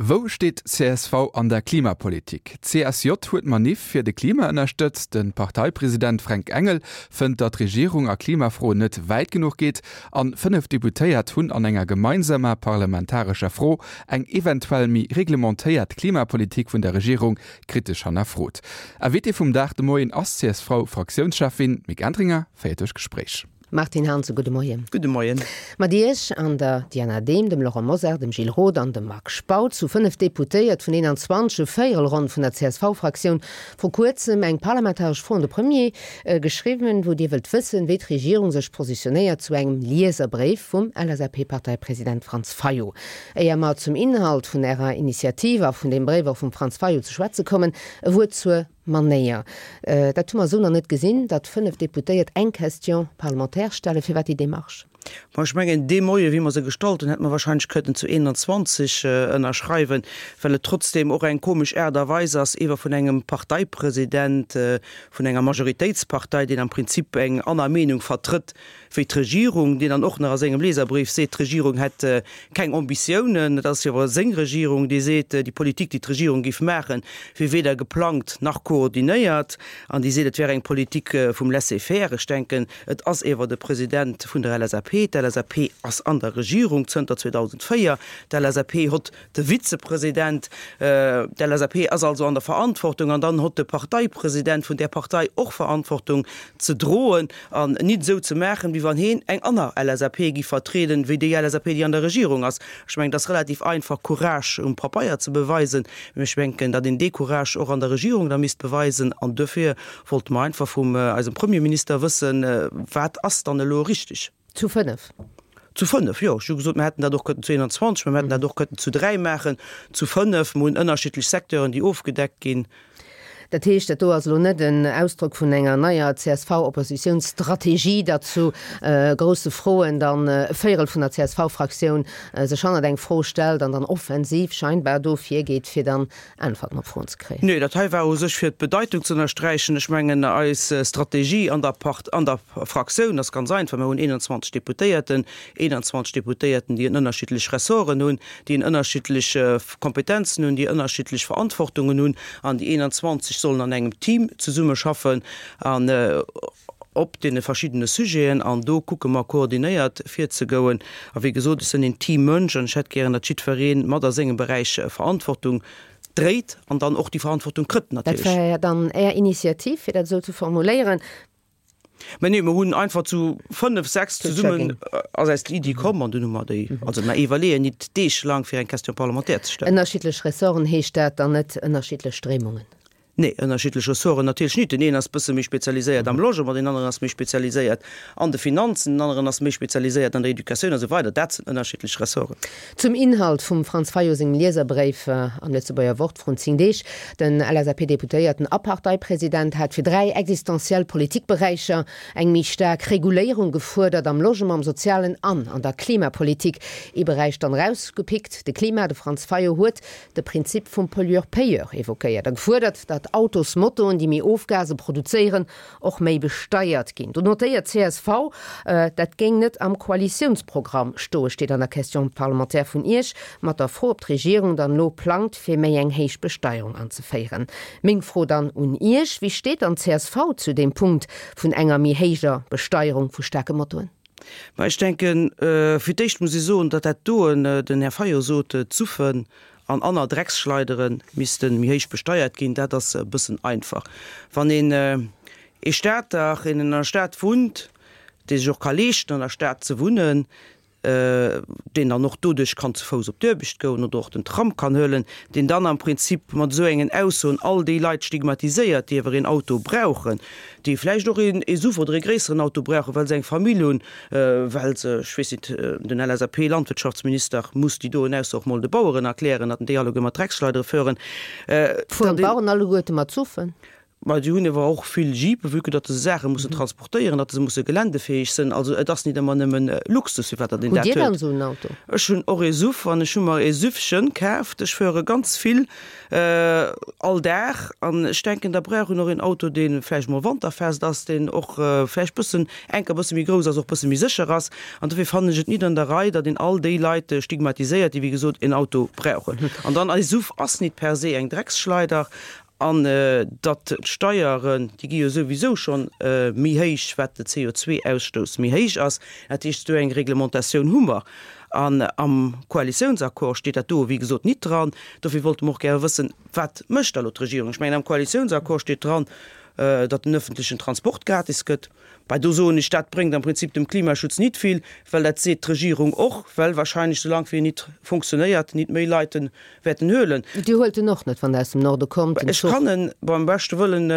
Wou steet csv an der Klimapolitik? D'CSJ huet d'Maniff fir de Klima ënnerstëtzt. De Parteipresident Fränk Engel fënnt, datt d'Regierung a Klimafroen net wäit genuch geet. An 5 Deputéiert hunn an enger gemeinsamer parlamentarescher Fro eng eventuell méi reglementéiert Klimapolitik vun der Regierung kritesch hannerfrot. Invité vum Dag de Moien ass d'CSV-Fraktiounscheffin Mick Entringer, féiert duerch d'Gespréich. Martine Hansen, gudde Moien. Gudde Moien. Mat Iech an der Diana Dehm, dem Laurent Mosar, dem Gilles Roth an dem Marc Spautz hu 5 Deputéiert vun 21, e Véierel ronn vun der CSV-Fraktioun, vru kuerzem eng parlamentaresch Fro un de Premier geschriwwen, wou Dir wëllt wëssen, wéi d'Regierung sech positionéiert zu engem Lieserbréif vum LSAP-Parteipresident Franz Fayot. Éier mer zum Inhalt vun Ärer Initiativ a vun deem Bréif och vum Franz Fayot ze schwätze kommen, e Wuert zur Manéier. Dat hu mer esou nach net gesinn, datt 5 Deputéiert eng Question parlementaire stellen. Firwat déi Démarche? Bon, ech mengen, dee Moie wéi mer se gestallt hunn, hätte mer wahrscheinlech kënnten zu 21 ënnerschreiwen, well et trotzdem och eng komesch Aart a Weis ass, ewer vun engem Parteipresident vun enger Majoritéitspartei, deen am Prinzip eng anner Meenung vertrëtt, wéi d'Regierung, deen dann och nach a sengem Leserbrief seet, d'Regierung hätt keng Ambitiounen. Et ass jo awer seng Regierung, déi seet, déi Politik, déi d'Regierung géif maachen, wier weder geplangt nach koordinéiert, an déi seet, et wär eng Politik vum Laisser-faire. Ech denken, et ass ewer de President vun der LSAP. D'LSAP ass an der Regierung zënter 2004. D'LSAP hott de Vizepresident. D'LSAP ass also an der Verantwortung an dann hott de Parteipresident vun där Partei och Verantwortung ze droen an nit esou ze maachen, wéi wann heen eng anner LSAP giff vertrieden, wéi déi LSAP, déi an der Regierung ass. Ech mengen, et ass relativ einfach, Courage um Papeier ze beweisen, mä ech menken, datt een dee Courage och an der Regierung da misst beweisen. An duerfir wollte mer einfach vum eisem Premierminister wëssen, Wat ass dann elo richtig? Zu 5? Zu 5, jo. Ech hu gesot, mer hätten dat och kënnen zu 21, mä mer hätten dat och kënnen zu 3 maachen, zu 5. Mer hunn ënnerschiddlech Secteuren, déi ofgedeckt ginn. Dat heescht, dat do ass elo net en Ausdrock vun enger neier CSV-Oppositionsstrategie, datt zu grousse Froen dann e Véierel vun der CSV-Fraktioun sech hannert eng Fro stellt an dann offensiv scheinbar do virgeet, fir dann Äntwerten op Froen ze kréien. Nee, dat hei war u sech fir d'Bedeitung ze ënnersträichen. Ech mengen, eis Strategie an der Part, an der Fraktioun ass ganz einfach, Mir hunn 21 Deputéierten, 21 Deputéierten, déi en ënnerschiddlech Ressorten hunn, déi en ënnerschiddlech Kompetenzen hunn, déi ënnerschiddlech Verantwortungen hunn, an déi 21 sollen an engem Team zesummeschaffen an op deene verschiddene Sujeten. An do kucke mer koordinéiert virzegoen. A wéi gesot, ech sinn een Teammënsch an ech hätt gären, datt jiddweree mat a sengem Beräich Verantwortung dréit an dann och déi Verantwortung kritt Dat natierlech. war dann Är Initiativ, fir dat esou ze formuléieren. Mä nee, mer hunn einfach zu fënnef, sechs zesummen ass eis déi Iddi komm an dunn hu mer déi, also mer iwwerleeën nit deeglaang fir eng Question parlementaire ze stellen. Ënnerschiddlech Ressorten, heescht dat dann net ënnerschiddlech Stréimungen? Nee, ënnerschiddlech Ressorten natierlech nit. Den een ass bësse méi spezialiséiert am Logement, deen aneren ass méi spezialiséiert an de Finanzen, den aneren ass méi spezialiséiert an der Educatioun a sou weider. Dat sinn ënnerschiddlech Ressorten. Zum Inhalt vum Franz Fayot sengem Lieserbréif am Lëtzebuerger Wort vrun 10 Deeg, Den LSAP-Deputéierten a Parteipresident hat fir 3 existenziell Politikberäicher eng méi staark Reguléierung gefuerdert, am Logement, am Sozialen an an der Klimapolitik. Ee Beräich dann erausgepickt, de Klima. De Franz Fayot huet de Prinzip vum Pollueur-payeur evoquéiert a gefuerdert, datt Autosmotoen, déi méi Ofgase produzéieren, och méi besteiert ginn. Do notéiert csv, dat géing net am Koalitiounsprogramm stoen, steet an der Question parlementaire vun Iech, mat der Fro, ob d'Regierung dann elo plangt, fir méi eng héich Besteierung anzeféieren. Meng Fro dann un Iech, Wéi steet dann csv zu deem Punkt vun enger méi héijer Besteierung vu staarke Motoen? Mä ech denken, fir d'éischt muss ee soen, datt dat doen, den Här Fayot sot, d'Suffen an anner Drecksschleidere misste méi héich besteiert ginn, dat ass e bëssen einfach. Wann een ee Stater, een an der Stad wunnt, dee sech och ka leeschten an der Stad ze wunnen, deen dann och doduerch kann zu Fouss op d'Uerbecht goen oder och den Tram kann huelen, deen dann am Prinzip mat esou engen Aussoen all déi Leit stigmatiséiert, déi ewer een Auto brauchen, déi vläicht och een SUV oder ee gréisseren Auto brauchen, well se eng Famill hunn, well se, ech weess nit, den LSAP-Landwirtschaftsminister muss déi doen Ausso och mol de Baueren erklären, datt en déi alleguer mat Drecksschleidere fueren. Fueren d'Baueren alleguerte mat SUVen? Ma déi hunn ewer och vill Jeepen, vue que datt se Saache mussen transportéieren, datt se musse geländefäeg sënn. Also et ass nit ëmmer nëmmen Luxus, firwat datt een Hutt dat Dir dann huet. esou en Auto? Ech hunn och ee Suv an ech hu mer ee Suvchen kaaft. Ech fuere ganz vill all Dag an ech denken, da brauch een och een Auto, dee vläicht mol wanterfest ass, deen och vläicht bëssen, enker bësse méi grouss ass, och bësse méi sécher ass. An dofir fannen ech et nit an der Rei, datt een all déi Leit stigmatiséiert, déi wéi gesot een Auto brauchen. An dann, ee Suv ass nit per se eng Drecksschleider An datt d'Steieren, déi gi jo souwisou schonn méi héich, wat de CO2-Ausstouss méi héich ass. Dat heescht, esou eng Reglementatioun hu mer. An am Koalitiounsaccord steet dat do, wéi gesot, nit dran. Dofir wollte mer och gäre wëssen, Wat mécht da elo d'Regierung? Ech mengen, am Koalitiounsaccord steet dran, datt den öffentlechen Transport gratis gëtt. Bei do soen ech, dat bréngt am Prinzip dem Klimaschutz nit vill, well dat seet d'Regierung och, well wahrscheinlech, soulaang wéi en nit funktionéiert, nit méi Leit en wäerten huelen. Dir huelt en och net, wann Der aus dem Norde kommt, den Ech Zuch? kann en beim beschte Wëllen,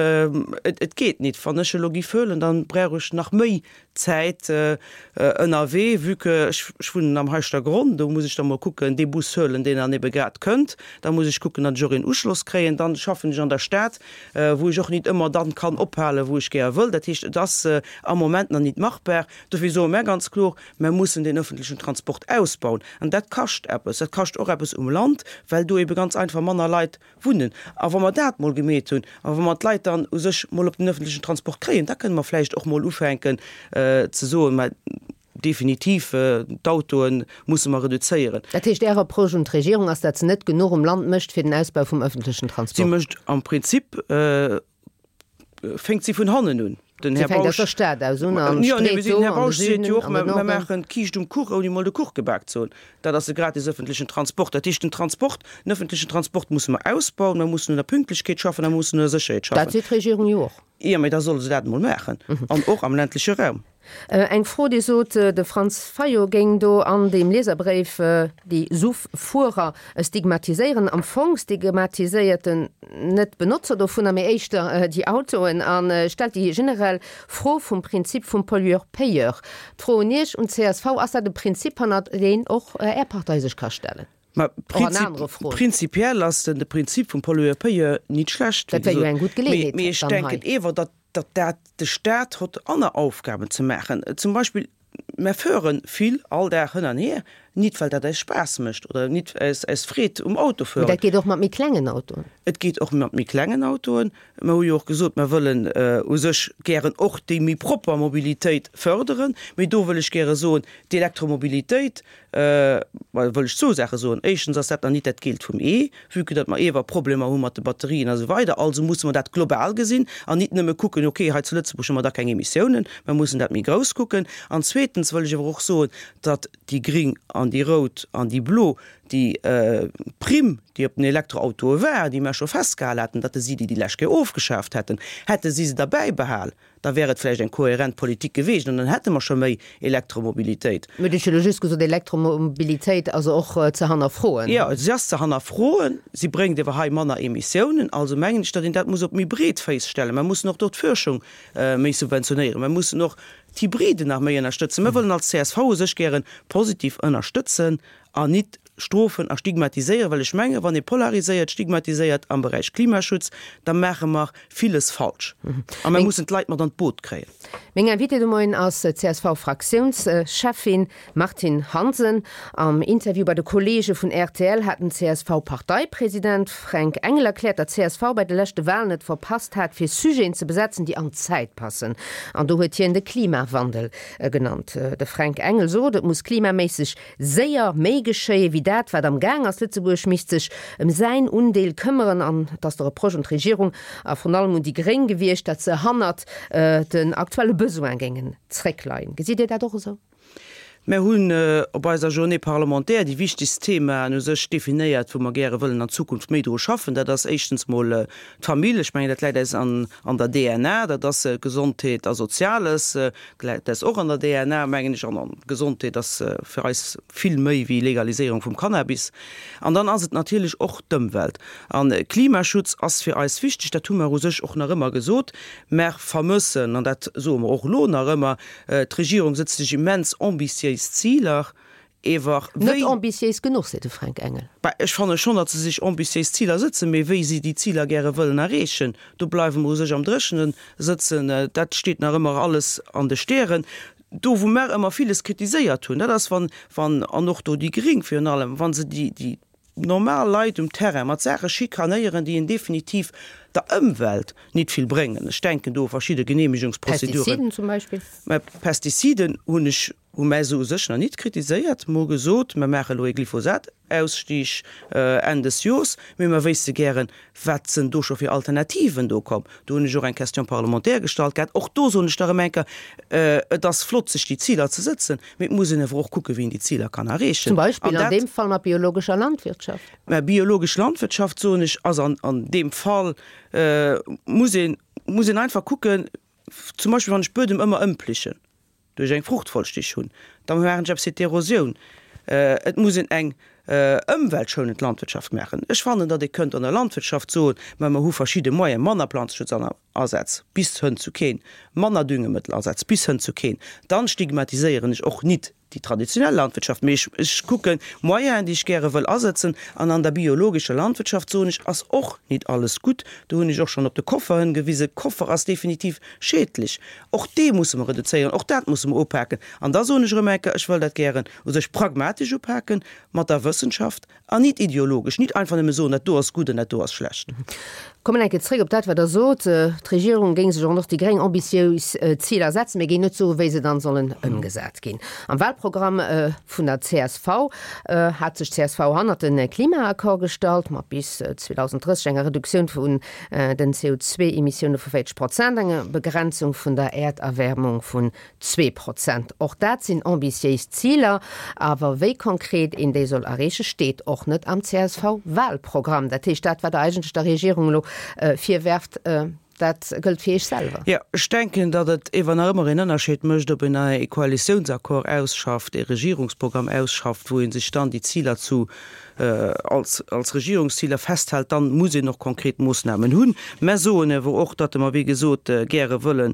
et, et geet nit. Wann ech elo giff huelen, dann brauch ech nach méi Zäit ënnerwee, vue que ech, ech wunnen am Heischtergronn, do muss ech da mol kucken, dee Bus huelen, deen dann ebe grad kënnt. Da muss ech kucken, datt ech och een Uschloss kréien. Dann schaffen ech an der Stad, wou ech och nit ëmmer dann kann ophalen, wou ech gär wëll. Dat heescht, et ass am Moment nach nit machbar. Dofir soe mär ganz kloer, Mär mussen den öffentlechen Transport ausbauen. An dat kascht eppes. Dat kascht och eppes um Land, well do ebe ganz einfach manner Leit wunnen. A wa mer dat mol gemeet hunn a wa mer d'Leit dann u sech mol op den öffentlechen Transport kréien, da kënne mer vläicht och mol ufänken ze soen, mä definitiv d'Autoe musse mer reduzéieren. Dat heescht, Är Reproche un d'Regierung ass, datt se net genuch um Land mécht fir den Ausbau vum öffentlechen Si Transport? mécht am Prinzip, fänkt si vun hannen un. Den Si Här fänkt aus Bausch, der Stad aus un an jo, nee, street den do Här an de Bausch seet Süden, jo och, an den mer, mer Norden. maachen d'Kiischt um Kuch, ouni mol de Kuch gebak ze hunn. Dat ass de gratis öffentlechen Transport. Dat heescht, den Transport, den öffentlechen Transport musse mer ausbauen, mer mussen un der Pünktlechkeet schaffen a mer mussen un der Sécherheet Dat schaffen. seet d'Regierung jo och. Jo, mee da solle se dat emol maachen, an och am ländleche Raum. Eng Fro, Dir sot, de Franz Fayot géing do an deem Lieserbréif déi Suff-Fuerer stigmatiséieren. Am Fong stigmatiséiert en net d'Benotzer dovunner, mee éischter déi Autoen a stellt déi generell Fro vum Prinzip vum Pollueur-payeur. D'Fro un Iech, un csv, Ass dat e Prinzip, hannert deen och Är Partei sech ka stellen? Mä Och an anere Froen. prinzipiell ass den de Prinzip vum Pollueur-payeur nit schlecht, wéi Dat wär jo gesot. eng gutt Geleeënheet Mee ech dann hei. denken ewer, datt datt dat de Staat hott anner Aufgaben ze maachen. Zum Beispill, mär föhren vill all Dag hënn an hier, nit well dat eis Spaass mécht oder nit aus aus Freed um Mee Autofueren. dat geet och mat méi klengen Autoen. Et geet och mat méi klengen Autoen. Mer hu jo och gesot, mer wëllen u sech gären och déi méi propper Mobilitéit förderen. Mee do wëll ech gäre soen, d'Elektromobilitéit, Ma wëll ech zwou Saache soen. Éischtens ass dat nach nit dat Geelt vum Ee, vue que datt mer ewer Problemer hu mat de Batterien a sou weider. Also musse mer dat global gesinn an nit nëmme kucken, okay, hei zu Lëtzebuerg hu mer da keng Emissiounen. Mer mussen dat méi grouss kucken. An zweetens wëll ech ewer och soen, datt déi Gring an déi Rout an déi Blo déi Primm, déi op den Elektroautoe war, déi mer scho festgehal haten, datt si déi déi lescht Kéier ofgeschaaft hätten, hätte si se derbäi behal, Da wär et vläicht eng kohärent Politik geweecht an dann hätte mer scho méi Elektromobilitéit. Mir hunn elo just gesot, Elektromobilitéit ass och ze hannerfroen. Jo, si ass ze hannerfroen. Si bréngt ewer hei manner Emissiounen. Also mengen ech, datt een dat muss op méi breet Féiss stellen. Mer mussen och do d'Fuerschung méi subventionéieren. Mer mussen och d'Hybriden nach méi ënnerstëtzen. Mer wëllen als csv u sech gäre positiv ënnerstëtzen an nit strofen a stigmatiséieren, well ech mengen, wann ee polariséiert, stigmatiséiert am Beräich Klimaschutz, da maache mer villes falsch a mer mussen d'Leit mat an d'Boot kréien. Meng Invitée de Moien ass d'CSV-Fraktiounscheffin Martine Hansen. Am Interview bei de Kolleege vun rtl hat den CSV-Parteipresident Fränk Engel erkläert, datt csv bei de leschte Walen et verpasst hat, fir Sujeten ze besetzen, déi an d'Zäit passen. An do huet hien de Klimawandel genannt. De Fränk Engel sot, et muss klimaméisseg séier méi geschéie wéi dat, wat am Gaang ass. Lëtzebuerg misst sech ëm säin Undeel këmmeren an et ass de Reproche un d'Regierung a vrun allem un déi Gréng gewiescht, datt se hannert den aktuelle Besoin géingen zréckleien. Gesitt Dir dat och esou? Mär hunn op eiser Journée parlementaire déi wichtegst Themaen u sech definéiert, wou mer gäre wëllen an Zukunft méi dru schaffen. Dat ass éischtens mol d'Famill. Ech mengen, dat läit eis an der DNA. Dat ass Gesondheet a Soziales. Dat ass och an der DNA, mengen ech. An Gesondheet ass fir eis vill méi wéi Legaliséierung vum Cannabis. An dann ass et natierlech och d'Ëmwelt. A Klimaschutz ass fir eis wichteg, dat hu mer u sech och nach ëmmer gesot. Mer vermëssen, an dat soe mer och elo nach ëmmer, d'Regierung sëtzt sech immens ambitiéis Ziler. Ewer wéi. Net ambitiéis genuch, seet de Fränk Engel. Bah, ech fanne schonn, datt se sech ambitiéis Ziler sëtzen, mee wéi si déi Ziler gäre wëllen erreechen, do bleiwe mer u sech am Dréchene sëtzen. Dat steet nach ëmmer alles an de Stären. Do wou mer ëmmer villes kritiséiert hunn, dat ass wann, wann, an och do déi Gring virun allem, wa se déi, déi normal Leit um Terrain mat Saache schikanéieren, déi en definitiv der Ëmwelt nit vill bréngen. Ech denken do u verschidde Genehmigungsprozeduren. Pestiziden zum Beispill. Mä Pestiziden hunn ech Hu mär se u sech nach nit kritiséiert, mer hu gesot, mer maache elo ee Glyphosat-Ausstieg Enn des Jors, mee mer wéisste gären, wat sënn do scho fir Alternativen do komm. Do hunn ech och eng Question parlementaire gestallt gehat. Och do soen ech nach erëm eng Kéier, Et ass flott, sech déi Ziler ze sëtzen, mee et muss een awer och kucken, wéi een déi Ziler kann erreechen. Zum Beispill an deem Fall mat biologescher Landwirtschaft. Mä biologesch Landwirtschaft, soen ech, ass an deem Fall, muss een, muss een einfach kucken, zum Beispill wann ech Buedem ëmmer ëmplichen, duerch eng Fruchtfolstich hunn, da maachen ech eppes fir d'Erosioun. Et muss een eng ëmweltschounend Landwirtschaft maachen. Ech fannen, datt ee kënnt an der Landwirtschaft soen, mä mer hu verschidde Moyen, manner Planzeschutzasaz bis hënn zu keen, manner Düngemëttelasaz bis hënn zu keen. Dann stigmatiséieren ech och nit déi traditionell Landwirtschaft, mee ech kucken Moyenen, déi ech gäre wëll asëtzen. An an der biologescher Landwirtschaft, soen ech, ass och nit alles gutt. Do hunn ech och schonn op de Koffer hëngewisen. Koffer ass definitiv schädlech. Och dee musse mer reduzéieren, och dat musse mer upaken. An da soen ech erëm eng Kéier, ech wëll dat gären u sech pragmatesch upaken, mat der Wëssenschaft an nit ideologesch, nit einfach nëmme soen, dat do ass gutt an dat do ass schlecht. Kommen eng Kéier zréck op dat, wat Der sot, d'Regierung géing sech an och déi Gréng ambitiös Ziler setzen, mee géing net soen, wéi se dann sollen ëmgesat ginn. Am Wahlprogramm vun der csv hat sech d'CSV hannert de Klimaaccord gestallt, mat bis 2030 enger Reduktioun vun den CO2-Emissioune vu 40 Prozent, enger Begrenzung vun der Äerderwärmung vun 2 Prozent. Och dat sinn ambitiéis Ziler, awer wéi konkret een déi soll erreechen, steet och net am CSV-Wahlprogramm. Dat heescht, dat wat Der eigentlech der Regierung elo virwerft, dat gëllt fir Iech selwer. Jo, ech denken, datt et ewer nach ëmmer een Ënnerscheed mécht, ob een e Koalitiounsaccord ausschafft, ee Regierungsprogramm ausschafft, wou ee sech dann déi Ziler zu als als Regierungsziler festhält, dann muss een och konkret Moossnamen hunn. Mä soen awer och, datt mer, wéi gesot, gäre wëllen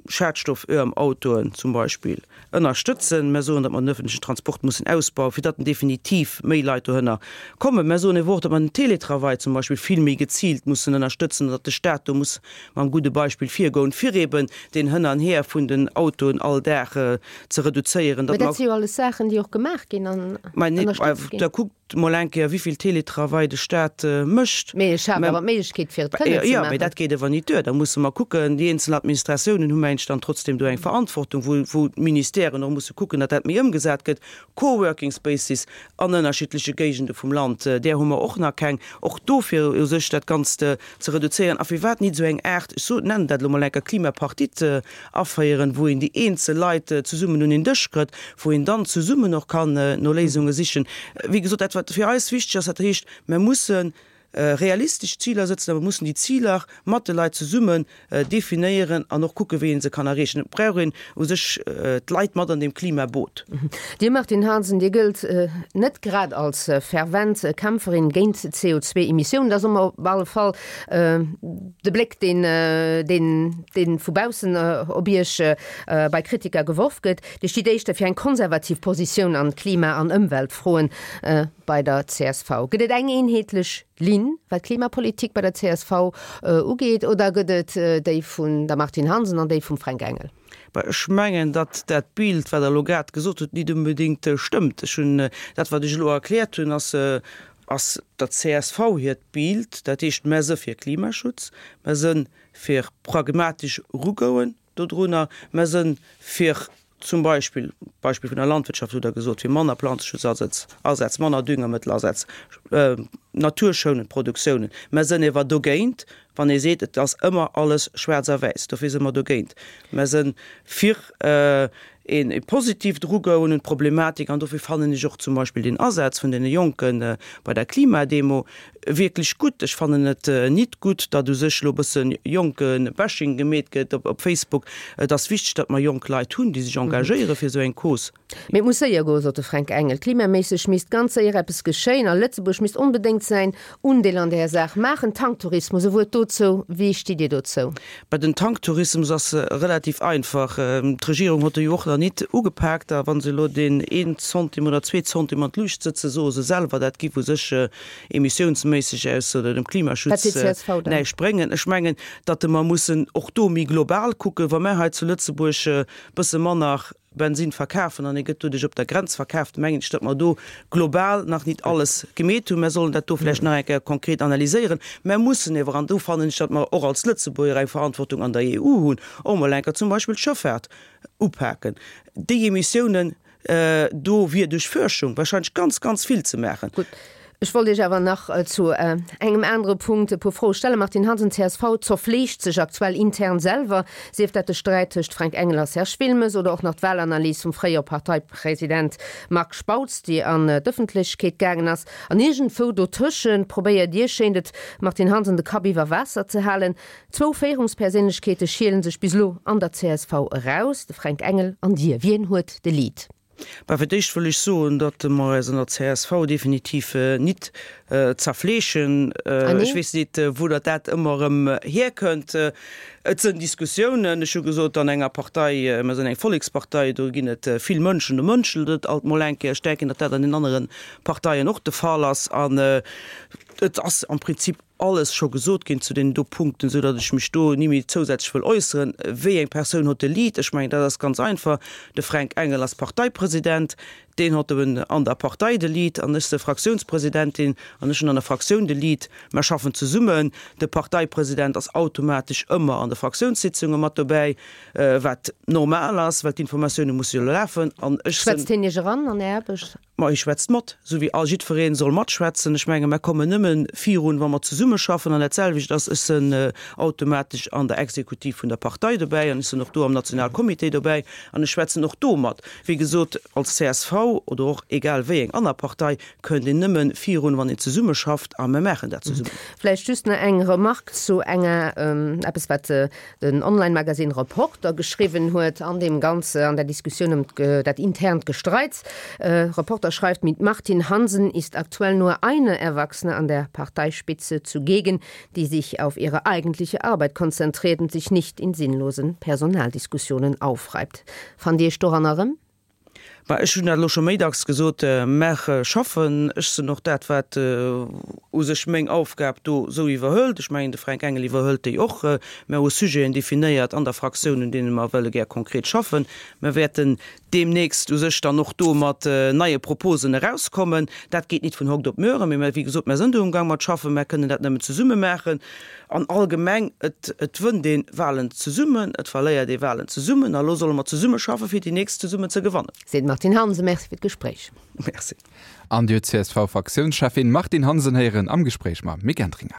schadstofföerm Autoen zum Beispill ënnerstëtzen. Mer soen, datt mer den öffentlichen Transport mussen ausbauen, fir datt definitiv méi Leit dohënner kommen. Mer soen awer och, datt mer den Télétravail zum Beispill vill méi geziilt mussen ënnerstëtzen an datt de Stat do muss mam gudde Beispill virgoen, fir eben deen Hënn an Här vun den Autoen all Dag ze reduzéieren. Mä dat si jo alles Saachen, déi och gemaach ginn an ënnerstëtzt ginn. Da kuckt mol eng Kéier, wéi vill Télétravail de Stat mécht. Mee e schaaft awer d'Méiglechkeet, fir et kënnen ze maachen. Jo, mee dat geet awer nit duer. Da musse mer kucken, déi eenzel Administratiounen hu mengt dann trotzdem do eng Verantwortung, wou, wou d'Ministèren och musse kucken, datt dat méi ëmgesat gëtt. Coworking Spaces an ënnerschiddleche Géigende vum Land, där hu mer och nach keng. Och dofir u sech dat Ganzt ze reduzéieren. A firwat nit esou eng Aart, ech so, nennen dat elo mol enker Klimapartite aféieren, wou een déi eenzel Leit zesummen un een Dësch kritt, wou een dann zesummen och kann no Léisunge sichen. Wéi gesot, dat wat fir eis wichteg ass, dat heescht, mer musse realistesch Ziler sëtzen a mer mussen déi Ziler mat de Leit zesummen definéieren an och kucken, wéi ee se kann erreechen. Et brauch een u sech d'Leit mat an deem Klimaboot. Dir Martine Hansen, Dir gëllt net grad als fervent Kämpferin géint d'CO2-Emissiounen. Dat ass op alle Fall de Bléck, deen, deen vu baussen op Iech bei Kritiker geworf gëtt. Dir stitt éischter fir eng konservativ Positioun an Klima an Ëmweltfroen. Bei der csv, gëtt et eng eenheetlech Linn, wat d'Klimapolitik bei der csv ugeet, oder gëtt et déi vun der Martine Hansen an déi vum Fränk Engel? Bah, ech mengen, datt dat Bild, wat Der elo grad gesot hutt, nit unbedéngt stëmmt. Ech hunn, dat wat ech elo erkläert hunn, ass, ass der csv hiert Bild. Dat heescht, mer si fir Klimaschutz, mer si fir pragmatesch erugouen dodrunner, mer si fir Zum Beispill, Beispill vun der Landwirtschaft hutt Der gesot, fir manner Planzeschutzasaz, Asaz, manner Düngermëttelasaz, naturschounend Produktiounen. Mer sënn ewer dogéint, wann ee seet, et ass ëmmer alles schwaarz a wäiss. Dofir si mer dogéint. Mer sënn fir ee positiivt Erugoen un d'Problematik an dofir fannen ech och zum Beispill deen Asaz vun deene Jonke bei der Klimademo. wierklech gutt. Ech fannen et nit gutt, datt u sech elo e bësse jonke Bashing gemeet gëtt op Facebook. Et ass wichteg, datt mer jonk Leit hunn, déi sech engagéiere fir esou eng Cause. Mee et muss séier goen, sot de Fränk Engel. Klimaméisseg misst ganz séier eppes geschéien a Lëtzebuerg misst onbedéngt säin Undeel an där Saach maachen. Tanktourismus, e Wuert dozou, Wéi stitt Dir dozou? Bei den Tanktourismus ass relativ einfach. D'Regierung hott e jo och nach nit ugepaakt. A wa se elo deen een Centime oder zwee Centime an d'Luucht sëtzen, soe se selwer, dat giff u sech emissiounsméisseg aus oder dem Klimaschutz näischt bréngen. Ech mengen, datt mer mussen och do méi global kucken. Wa mer hei zu Lëtzebuerg e bësse manner Bensin verkafen an e gëtt doduerch op der Grenz verkaaft, mengen ech, datt mer do global nach nit alles gemeet hunn. Mer sollen dat do vläicht nach eng Kéier konkret analyséieren. Mer mussen ewer, an do fannen ech, datt mer och als Lëtzebuerger eng Verantwortung an der EU hunn, och mol eng Kéier zum Beispill d'Schëffaart upaken. Déi Emissiounen, do wier duerch Fuerschung wahrscheinlech ganz, ganz vill ze maachen. Gutt, ech wollt Iech awer nach zu engem anere Punkt e puer Froe stellen. Martine Hansen, csv zerfleegt sech aktuell intern selwer, sief dat de Sträit tëscht Fränk Engel a Serge Wilmes oder och nach d'Walanalys vum fréiere Parteipresident Marc Spautz, déi an d'Ëffentlechkeet gaangen ass. An iergendwou dotëschent probéiert Dir, schéint et, Martine Hansen, de Kapp iwwer Waasser ze halen. Zwou Féierungsperséinlechkeete schielen sech bis elo an der csv eraus, de Fränk Engel an Dir. Wien huet de Lead? Bah, fir d'éischt wëll ech soen, datt mer eis an der csv definitiv nit zerfleeschen. Ech weess nit, wou datt dat ëmmer erëm hierkënnt. Et sënn Diskussiounen. Ech hu gesot, an enger Partei, mer sënn eng Vollekspartei, do ginn et vill Mënschen, do mënschelt et alt mol eng Kéier. Ech denken, datt dat an den anere Parteien och de Fall ass. An et ass am Prinzip alles scho gesot ginn zu deenen do Punkten, esou datt ech mech do ni méi zousätzlech wëll äusseren. Wéi eng Persoun hott de Lead? Ech mengen, dat ass ganz einfach. De Fränk Engel ass Parteipresident, deen hott eben an der Partei de Lead an ech se Fraktiounspresidentin an ech hunn an der Fraktioun de Lead. Mer schaffen zesummen. De Parteipresident ass automatesch ëmmer an de Fraktiounssitzunge mat dobäi, wat normal ass, well d'Informatioune musse jo lafen an ech sinn. Schwätzt hien Iech eran an Är Aarbecht? Ma hie schwätzt mat, esou wéi all jiddweree soll matschwätzen. Ech menge mer kommen nëmme virun, wa mer zesummeschaffen. An dat selwecht ass, ech sënn automatesch an der Exekutiv vun der Partei dobäi an ech sënn och do am Nationalcomité dobäi an ech schwätzen och do mat. Wéi gesot, als csv oder och egal wéi eng aner Partei kënnt een nëmme virun, wann een zesummeschafft a mer maachen dat zesummen. Vläicht just nach eng Remarque zu enger, eppes wat den Online-Magazine Reporter geschriwwen huet an deem Ganze, an der Diskussioun ëm dat internt Gestreits. Reporter schreift, Mit Martin Hansen ist aktuell nur eine Erwachsene an der Parteispitze zugegen, die sich auf ihre eigentliche Arbeit konzentriert und sich nicht in sinnlosen Personaldiskussionen aufreibt. Fannt Dir Iech doran erëm? Mä ech hunn dat elo scho méi dacks gesot, Mer schaffen. Ech sinn och dat, wat u sech meng Aufgab do esou iwwerhëlt. Ech mengen, de Fränk Engel iwwerhëlt déi och. Mer hu Sujeten definéiert an der Fraktioun, un deene mer wëlle gär konkret schaffen. Mer wäerten deemnächst u sech dann och do mat neie Proposen erauskommen. Dat geet nit vun hokt op muere, mee mer, wéi gesot, mer sinn do amgang mat schaffen. Mer kënnen dat nëmmen zesumme maachen. An allgemeng, et et wënnt ee Wahlen zesummen, et verléiert ee Wahlen zesummen. A lo solle mer zesummeschaffen, fir déi nächst zesummen ze gewannen. Seet d'Martine Hansen. Merci fir d'Gespréich. Merci. An Dir huet d'CSV-Fraktiounscheffin Martine Hansen héieren am Gespréich mam Mick Entringer.